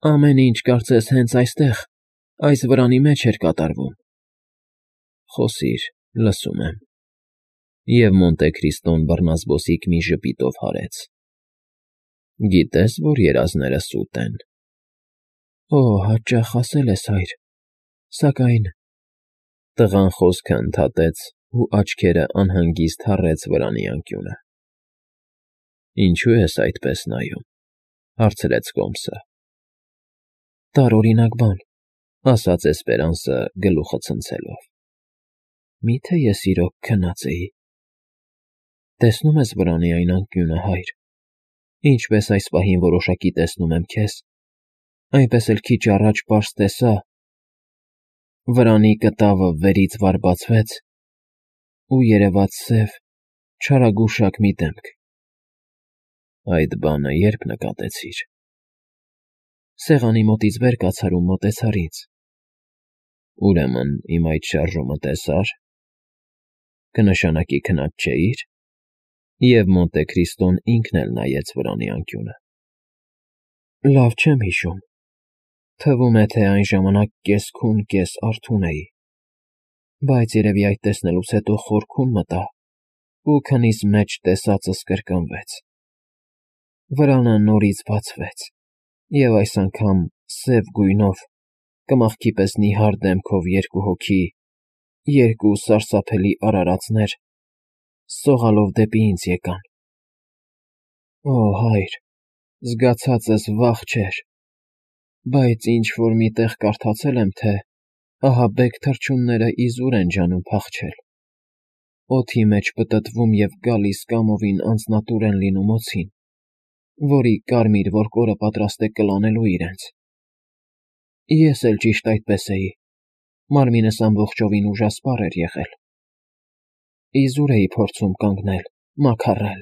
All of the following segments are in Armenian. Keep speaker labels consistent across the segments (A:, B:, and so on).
A: Ամեն ինչ կարծես հենց այստեղ, այս վրանի մեջ էր կատարվում։ Խոսիր, լսում եմ։ Եվ Մոնտե Քրիստոն բռնազբոսիկ մի ժպիտով հարեց։ Գիտես, որ երազները սուտ են։ Օ, հաճախ ասել ես, հայր, սակայն… Տղան խոսքը ընդհատեց ու աչքերը անհանգիստ հառեց վրանի անկյունը։ Ինչու ես այդպես նայում, հարցրեց Կոմսը։ Տարօրինակ բան, ասաց Էսպերանսը գլուխը ցնցելով։ Միթե ես իրոք քնած էի։ Տեսնում ես վրանի այն անկյունը, հայր, ինչպես այս պահին որոշակի տեսնում եմ քեզ, այնպես էլ քիչ առաջ պարզ տեսա… Վրանի կտավը վերից վար բացվեց, ու երևաց սև, չարագուշակ մի դեմք։ Այդ բանը երբ նկատեցիր։ Սեղանի մոտից վեր կացար ու մոտեցար ինձ։ Ուրեմն իմ այդ շարժումը տեսար… Կնշանակի քնած չէի՞ր։ Եվ Մոնտե Քրիստոն ինքն էլ նայեց վրանի անկյունը։ Լավ չեմ հիշում։ Թվում է, թե այն ժամանակ կես֊քուն, կես֊արթուն էի, բայց երևի այդ տեսնելուց հետո խորքուն մտա ու քնիս մեջ տեսածս կրկնվեց։ Վրանը նորից բացվեց, և այս անգամ սև գույնով, կմախքի պես նիհար դեմքով երկու հոգի, երկու սարսափելի արարածներ, սողալով դեպի ինձ եկան։ Օ, հայր, զգացածս վախ չէր, բայց ինչ֊որ մի տեղ կարդացել եմ, թե ահաբեկ թռչունները իզուր են ջանում փախչել, օդի մեջ պտտվում և գալիս կամովին անձնատուր են լինում օձին, որի կարմիր որկորը պատրաստ է կլանելու իրենց։ Ես էլ ճիշտ այդպես էի, մարմինս ամբողջովին ուժասպառ էր եղել։ Իզուր էի փորձում կանգնել, մաքարել,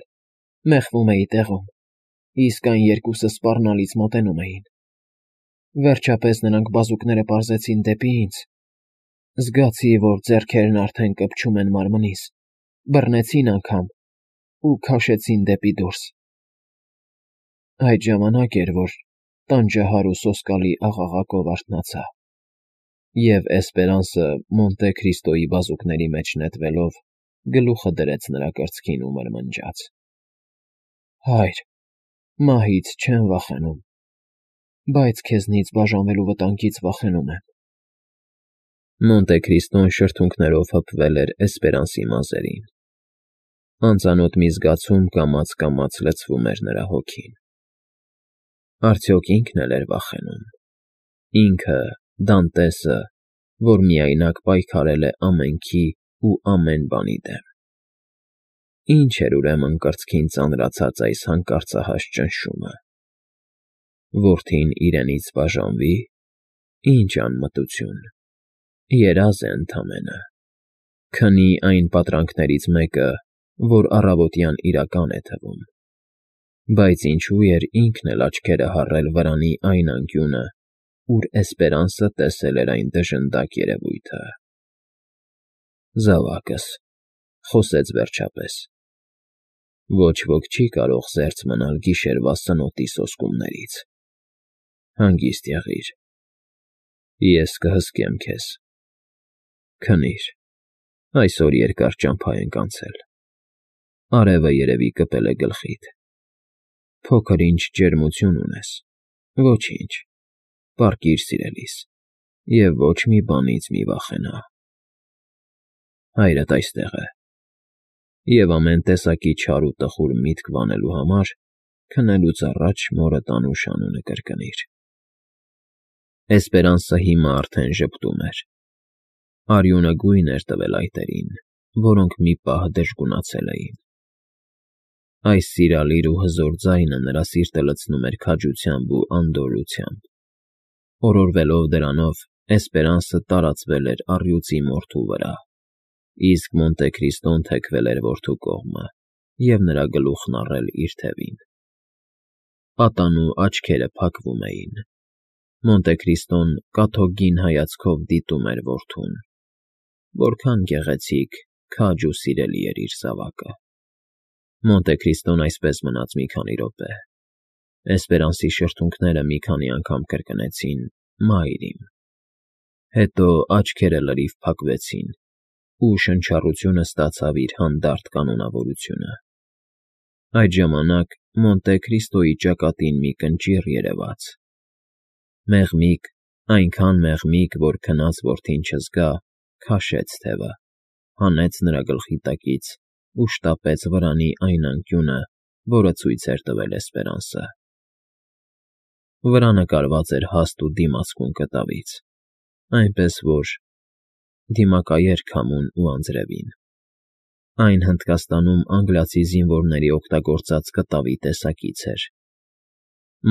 A: մեխվում էի տեղում, իսկ այն երկուսը սպառնալից մոտենում էին։ Վերջապես նրանք բազուկները պարզեցին դեպի ինձ։ Զգացի, որ ձեռքերն արդեն կպչում են մարմնիս, բռնեցին անգամ ու քաշեցին դեպի դուրս։ Այդ ժամանակ էր, որ տանջահար ու սոսկալի աղաղակով արթնացա, և Էսպերանսը Մոնտե Քրիստոյի բազուկների մեջ նետվելով գլուխը դրեց նրա կրծքին ու մրմնջաց. Հայր, մահից չեմ վախենում, բայց քեզնից բաժանվելու վտանգից վախենում եմ։ Մոնտե Քրիստոն շրթունքներով հպվել էր Էսպերանսի մազերին։ Անծանոթ մի զգացում կամաց-կամաց լցվում էր նրա հոգին։ Արդյոք ինքն էլ էր վախենում։ Ինքը, Դանտեսը, որ միայնակ պայքարել է ամենքի ու ամեն բանի դեմ։ Ինչ էր ուրեմն կրծքին ծանրացած այս հանկարծահաս ճնշումը։ Որդին իրենից բաժանվի՞, ինչ անմտություն, երազ է ընդամենը, քնի այն պատրանքներից մեկը, որ առավոտյան իրական է թվում։ Բայց ինչու էր ինքն էլ աչքերը հառել վրանի այն անկյունը, ուր Էսպերանսը տեսել էր այն դժնդակ երևույթը։ Զավակս, խոսեց վերջապես, ոչ ոք չի կարող զերծ մնալ գիշերվա սնոտի սոսկումներից։ Հանգիստ եղիր, ես կհսկեմ քեզ։ Քնիր, այսօր երկար ճամփա ենք անցել, արևը երևի կպել է գլխիդ։ Փոքր-ինչ ջերմություն ունես, ոչինչ, պառկիր սիրելիս, և ոչ մի բանից մի վախենա։ Հայրդ այստեղ է, և ամեն տեսակի չար ու տխուր միտք վանելու համար քնելուց առաջ մորդ անուշ անունը կրկնիր։ Էսպերանսը հիմա արդեն ժպտում էր։ Արյունը գույն էր տվել այտերին, որոնք մի պահ դժգունացել էին։ Այս սիրալիր ու հզոր ձայնը նրա սիրտը լցնում էր քաջությամբ ու անդորրությամբ։ Օրորվելով դրանով, Էսպերանսը տարածվել էր առյուծի մորթու վրա, իսկ Մոնտե Քրիստոն թեքվել էր որդու կողմը և նրա գլուխն առել իր թևին։ Պատանու աչքերը փակվում էին։ Մոնտե Քրիստոն կաթոկգին հայացքով դիտում էր որդուն։ Որքան գեղեցիկ, քաջ ու սիրելի էր իր զավակը։ Մոնտե Քրիստոն այսպես մնաց մի քանի րոպե, Էսպերանսի շրթունքները մի քանի անգամ կրկնեցին. «Մայրիմ»։ Հետո աչքերը լրիվ փակվեցին, ու շնչառությունը ստացավ իր հանդարտ կանոնավորությունը։ Այդ ժամանակ Մոնտե Քրիստոյի ճակատին մի կնճիռ երևաց։ Մեղմիկ, այնքան մեղմիկ, որ քնած որդին չզգա, քաշեց թևը, հանեց նրա գլխի տակից ու շտապեց վրանի այն անկյունը, որը ցույց էր տվել Էսպերանսը։ Վրանը կարված էր հաստ ու դիմացկուն կտավից, այնպես որ դիմակայեր քամուն ու անձրևին։ Այն Հնդկաստանում անգլիացի զինվորների օգտագործած կտավի տեսակից էր։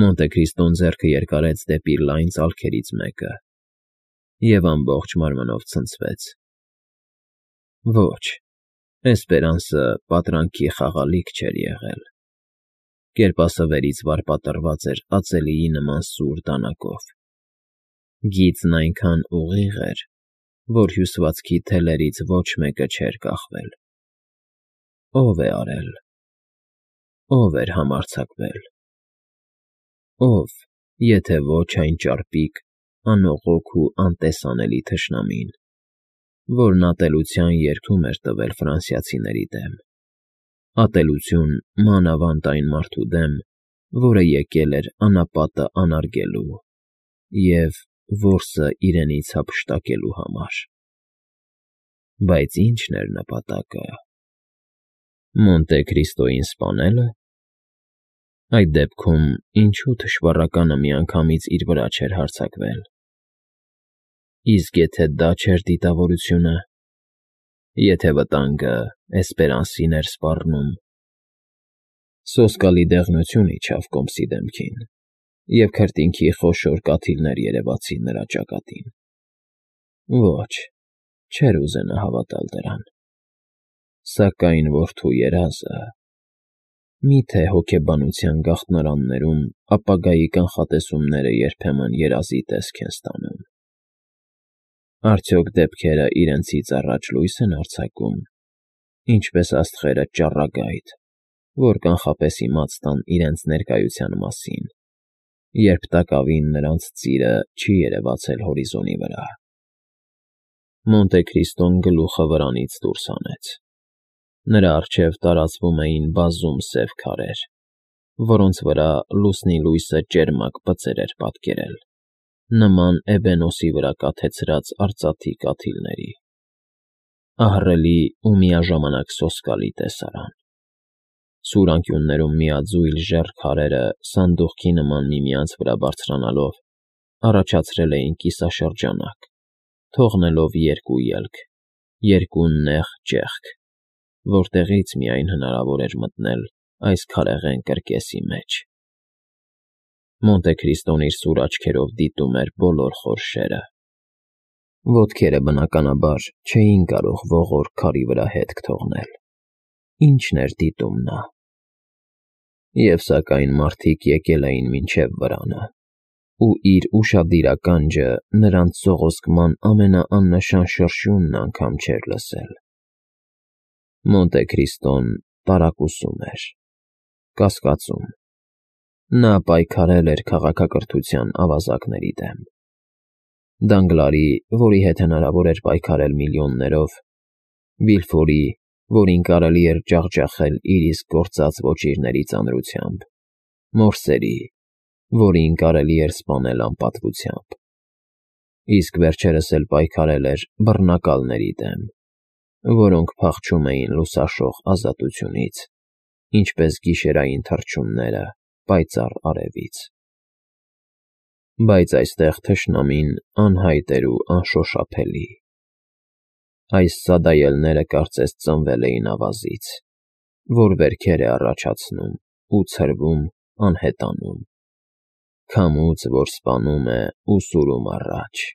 A: Մոնտե Քրիստոն ձեռքը երկարեց դեպի լայն ծալքերից մեկը և ամբողջ մարմնով ցնցվեց։ Ոչ, Էսպերանսը պատրանքի խաղալիք չէր եղել։ Կերպասվերից վար պատռված էր ածելիի նման սուր դանակով։ Գիծն այնքան ուղիղ էր, որ հյուսվածքի թելերից ոչ մեկը չէր կախվել։ Ո՞վ է արել։ Ո՞վ էր համարձակվել։ Ո՞վ, եթե ոչ այն ճարպիկ, անողոք ու անտեսանելի թշնամին, որն ատելության երդում էր տվել ֆրանսիացիների դեմ, ատելություն մանավանդ այն մարդու դեմ, որը եկել էր անապատը անարգելու և որսը իրենից հափշտակելու համար։ Բայց ի՞նչն էր նպատակը։ Մոնտե Քրիստոյին սպանելը։ Այդ դեպքում ինչու թշվառականը միանգամից իր վրա չէր հարձակվել։ Իսկ եթե դա չէր դիտավորությունը, եթե վտանգը Էսպերանսին էր սպառնում։ Սոսկալի դեղնություն իջավ կոմսի դեմքին, և քրտինքի խոշոր կաթիլներ երևացին նրա ճակատին։ Ոչ, չէր ուզենա հավատալ դրան։ Սակայն որդու երազը… Մի՞թե հոգեբանության գաղտնարաններում ապագայի կանխատեսումները երբեմն երազի տեսք են ստանում։ Արդյոք դեպքերը իրենցից առաջ լույս են արձակում, ինչպես աստղերը ճառագայթ, որ կանխապես իմաց տան իրենց ներկայության մասին, երբ տակավին նրանց ծիրը չի երևացել հորիզոնի վրա։ Մոնտե Քրիստոն գլուխը վրանից դուրս հանեց։ Նրա առջև տարածվում էին բազում սև քարեր, որոնց վրա լուսնի լույսը ճերմակ բծեր էր պատկերել, նման էբենոսի վրա կաթեցրած արծաթի կաթիլների։ Ահռելի ու միաժամանակ սոսկալի տեսարան։ Սուր անկյուններում միաձույլ ժեռ քարերը սանդուղքի նման միմյանց վրա բարձրանալով առաջացրել էին կիսաշրջանակ, թողնելով երկու ելք, երկու նեղ ճեղք, որտեղից միայն հնարավոր էր մտնել այս քարեղեն կրկեսի մեջ։ Մոնտե Քրիստոն իր սուր աչքերով դիտում էր բոլոր խորշերը։ Ոտքերը, բնականաբար, չէին կարող ողորկ քարի վրա հետք թողնել։ Ի՞նչն էր դիտում նա։ Եվ սակայն մարդիկ եկել էին մինչև վրանը, ու իր ուշադիր ականջը նրանց սողոսկման ամենաաննշան շրշյունն անգամ չէր լսել։ Մոնտե Քրիստոն տարակուսում էր, կասկածում։ Նա պայքարել էր քաղաքակրթության ավազակների դեմ։ Դանգլարի, որի հետ հնարավոր էր պայքարել միլիոններով, Վիլֆորի, որին կարելի էր ջախջախել իր իսկ գործած ոչիրների ծանրությամբ, Մորսերի, որին կարելի էր սպանել անպատվությամբ։ Իսկ վերջերս էլ պայքարել էր բռնակալների դեմ, որոնք փախչում էին լուսաշող ազատությունից, ինչպես գիշերային թռչունները պայծառ արևից։ Բայց այստեղ թշնամին անհայտ էր ու անշոշափելի։ Այս սադայելները կարծես ծնվել էին ավազից, որ վերքեր է առաջացնում ու ցրվում անհետանում, քամուց, որ սպանում է ու սուրում առաջ։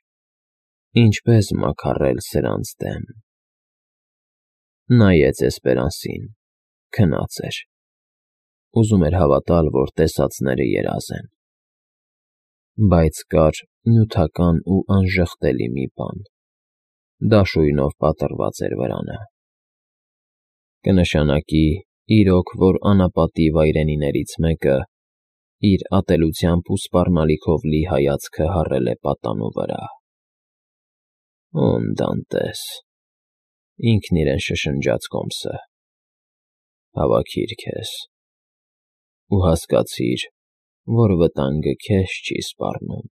A: Ինչպե՞ս մաքարել սրանց դեմ։ Նայեց Էսպերանսին, քնած էր։ Ուզում էր հավատալ, որ տեսածները երազ են։ Բայց կար նյութական ու անժխտելի մի բան. դաշույնով պատռված էր վրանը։ Կնշանակի, իրոք, որ անապատի վայրենիներից մեկը իր ատելությամբ ու սպառնալիքով լի հայացքը հառել է պատանու վրա։ «Օն Դանտես», ինքն իրեն շշնջաց Հոմսը, «հավաքիր քեզ ու հասկացիր, որ վտանգը քեզ չի սպառնում։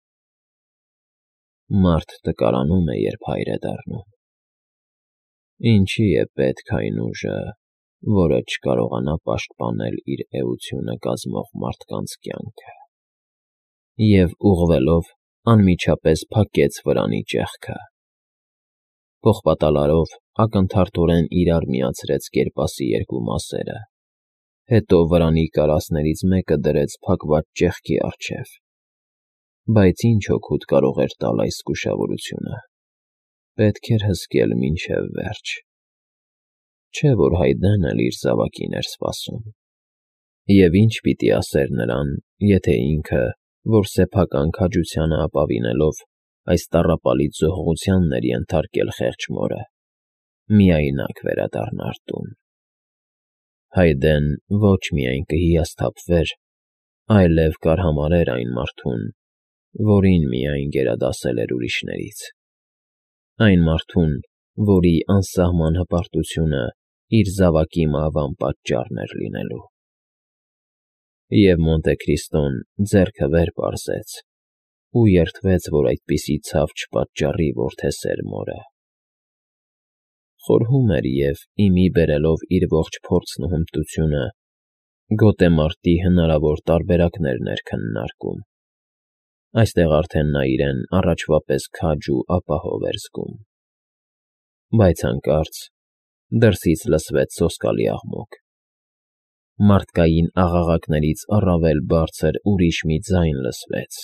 A: Մարդ տկարանում է, երբ հայր է դառնում։ Ինչի է պետք այն ուժը, որը չկարողանա պաշտպանել իր էությունը կազմող մարդկանց կյանքը»։ Եվ ուղղվելով անմիջապես փակեց վրանի ճեղքը։ Պողպատալարով ակնթարթորեն իրար միացրեց կերպասի երկու մասերը, հետո վրանի կարասներից մեկը դրեց փակված ճեղքի առջև։ Բայց ինչ օգուտ կարող էր տալ այս զգուշավորությունը։ Պետք էր հսկել մինչև վերջ։ Չէ՞ որ Հայդեն էլ իր զավակին էր սպասում։ Եվ ինչ պիտի ասեր նրան, եթե ինքը, որ սեփական քաջությանը ապավինելով, այս տառապալից զոհողությանն էր ենթարկել խեղճ մորը, միայնակ վերադառնար տուն։ Հայդեն ոչ միայն կհիասթափվեր, այլև կարհամարհեր այն մարդուն, որին միայն գերադասել էր ուրիշներից, այն մարդուն, որի անսահման հպարտությունը իր զավակի մահվան պատճառն էր լինելու։ Եվ Մոնտեկրիստոն ձեռքը վեր պարզեց ու երդվեց, որ այդպիսի ցավ չպատճառի որդեսեր մորը։ Խորհում էր և, իմի բերելով իր ողջ փորձն ու հմտությունը, գոտեմարտի հնարավոր տարբերակներ էր քննարկում։ Այստեղ արդեն նա իրեն առաջվա պես քաջ ու ապահով էր զգում։ Բայց հանկարծ դրսից լսվեց սոսկալի աղմուկ։ Մարդկային աղաղակներից առավել բարձր ուրիշ մի ձայն լսվեց։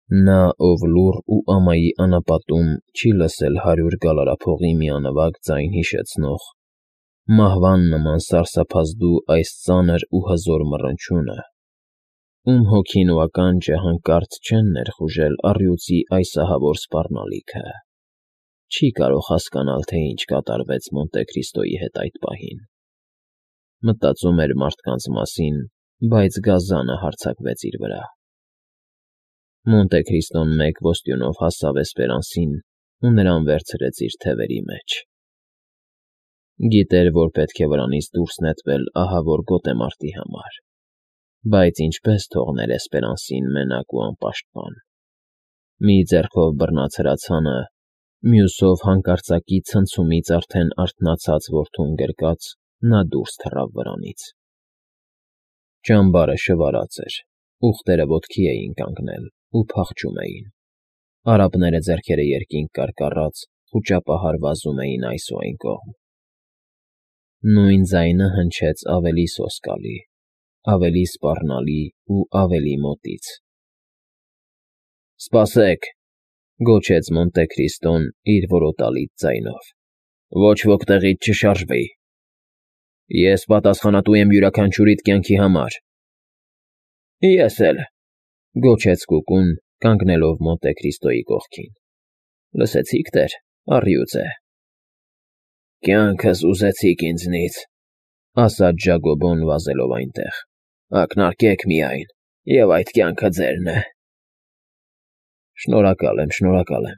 A: Նա, ով լուռ ու ամայի անապատում չի լսել 100 գալարափողի միանվագ ձայն հիշեցնող, մահվան նման սարսափազդու այս ծանր ու հզոր մռնչյունը, ում հոգին ու ականջը հանկարծ չեն ներխուժել առյուծի այս ահավոր սպառնալիքը, չի կարող հասկանալ, թե ինչ կատարվեց Մոնտեկրիստոյի հետ այդ պահին։ Մտածում էր մարդկանց մասին, բայց գազանը հարձակվեց իր վրա։ Մոնտեկրիստոն մեկ ոստյունով հասավ Էսպերանսին ու նրան վերցրեց իր թևերի մեջ։ Գիտեր, որ պետք է վրանից դուրս նետվել ահավոր գոտեմարտի համար, բայց ինչպես թողներ Էսպերանսին մենակ ու անպաշտպան։ Մի ձեռքով բռնած հրացանը, մյուսով հանկարծակի ցնցումից արդեն արթնացած որդուն գրկած, նա դուրս թռավ վրանից։ Ճամբարը շվարած էր, ուղտերը ոտքի էին կանգնել ու փախչում էին։ Արաբները ձեռքերը երկինք կարկառած խուճապահար վազում էին այս ու այն կողմ։ Նույն ձայնը հնչեց ավելի սոսկալի, ավելի սպառնալի ու ավելի մոտից։ «Սպասեք», գոչեց Մոնտեկրիստոն իր որոտալից ձայնով։ «Ոչ ոք տեղից չշարժվի։ Ես պատասխանատու եմ յուրաքանչյուրիդ կյանքի համար»։ «Ես էլ», գոչեց Կուկուն, կանգնելով Մոնտեկրիստոյի կողքին։ «Լսեցի՞ք, տեր, առյուծ է»։ «Կյանքս ուզեցիք ինձնից», ասաց Ժակոբոն վազելով այնտեղ։ «Ակնարկեք միայն, և այդ կյանքը ձերն է»։ Շնորհակալ եմ,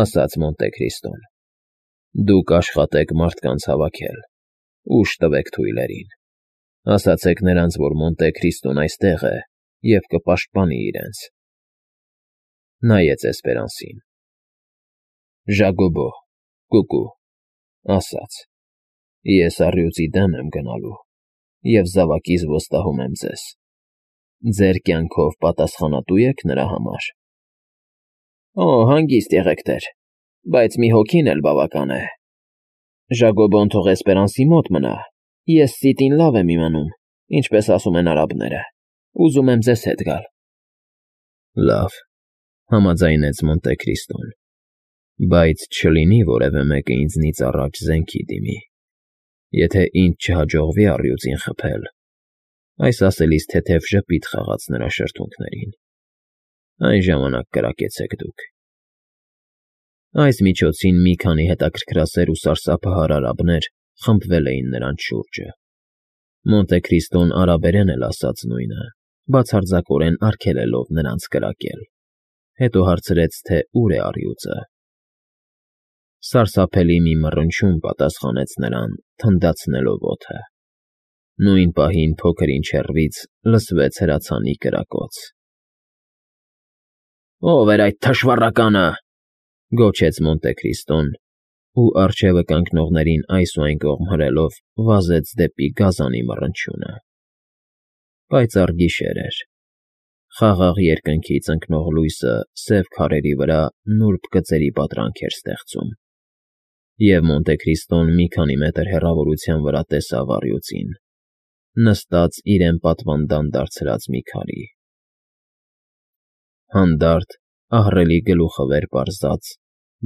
A: ասաց Մոնտեկրիստոն։ Դուք աշխատեք մարդկանց հավաքել, ուժ տվեք թույլերին, ասացեք նրանց, որ Մոնտեկրիստոն այստեղ է և կպաշտպանի իրենց։ Նայեց Էսպերանսին։ Ժակոբո, Կուկու, ասաց. Ես առյուծի դեմ եմ գնալու և զավակիս վստահում եմ ձեզ։ Ձեր կյանքով պատասխանատու եք նրա համար։ Օ, հանգիստ եղեք, տեր, բայց մի հոգին էլ բավական է։ Ժակոբոն թող Էսպերանսի մոտ մնա, ես սիտին լավ եմ իմանում, ինչպես ասում են արաբները, ուզում եմ ձեզ հետ գալ։ Լավ, համաձայնեց Մոնտեկրիստոն, բայց չլինի որևէ մեկը ինձնից առաջ զենքի դիմի։ Եթե ինձ չհաջողվի առյուծին խփել, այս ասելիս թեթև ժպիտ խաղաց նրա շրթունքներին, այն ժամանակ կրակեցեք դուք։ Այս միջոցին մի քանի հետաքրքրասեր ու սարսափահար արաբներ խմբվել էին նրանց շուրջը։ Մոնտե Քրիստոն արաբերեն էլ ասաց նույնը, բացարձակորեն արգելելով նրանց կրակել, հետո հարցրեց, թե ուր է առյուծը։ Սարսափելի մի մռնչյուն պատասխանեց նրան, թնդացնելով օդը։ Նույն պահին փոքր-ինչ հեռվից լսվեց հրացանի կրակոց։ «Ո՞վ էր այդ թշվառականը», գոչեց Մոնտե Քրիստոն ու, առջևը կանգնողներին այս ու այն կողմ հրելով, վազեց դեպի գազանի մռնչյունը։ Պայծառ գիշեր էր։ Խաղաղ երկնքից ընկնող լույսը սև քարերի վրա նուրբ գծերի պատրանք էր ստեղծում, և Մոնտե Քրիստոն մի քանի մետր հեռավորության վրա տեսավ առյուծին, նստած իրեն պատվանդան դարձրած մի քարի։ Հանդարտ, ահռելի գլուխը վեր պարզած,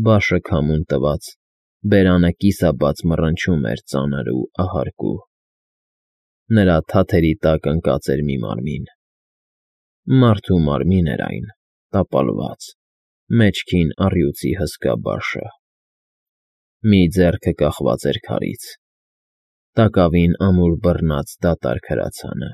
A: բաշը քամուն տված, բերանը կիսաբաց մռնչում էր ծանր ու ահարկու։ Նրա թաթերի տակ ընկած էր մի մարմին։ Մարդու մարմին էր այն, տապալված, մեջքին առյուծի հսկա բաշը։ Մի ձեռքը կախված էր քարից, տակավին ամուր բռնած դատարկ հրացանը։